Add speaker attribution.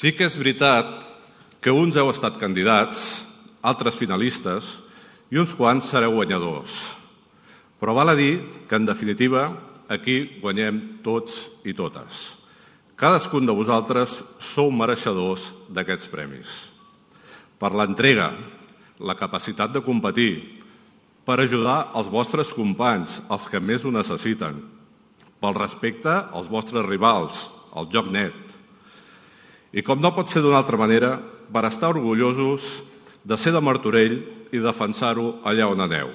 Speaker 1: Sí que és veritat que uns heu estat candidats, altres finalistes i uns quants sereu guanyadors. Però val a dir que, en definitiva, aquí guanyem tots i totes. Cadascun de vosaltres sou mereixedors d'aquests premis. Per l'entrega, la capacitat de competir, per ajudar els vostres companys, els que més ho necessiten, pel respecte als vostres rivals, al joc net. I com no pot ser d'una altra manera, per estar orgullosos de ser de Martorell i defensar-ho allà on aneu.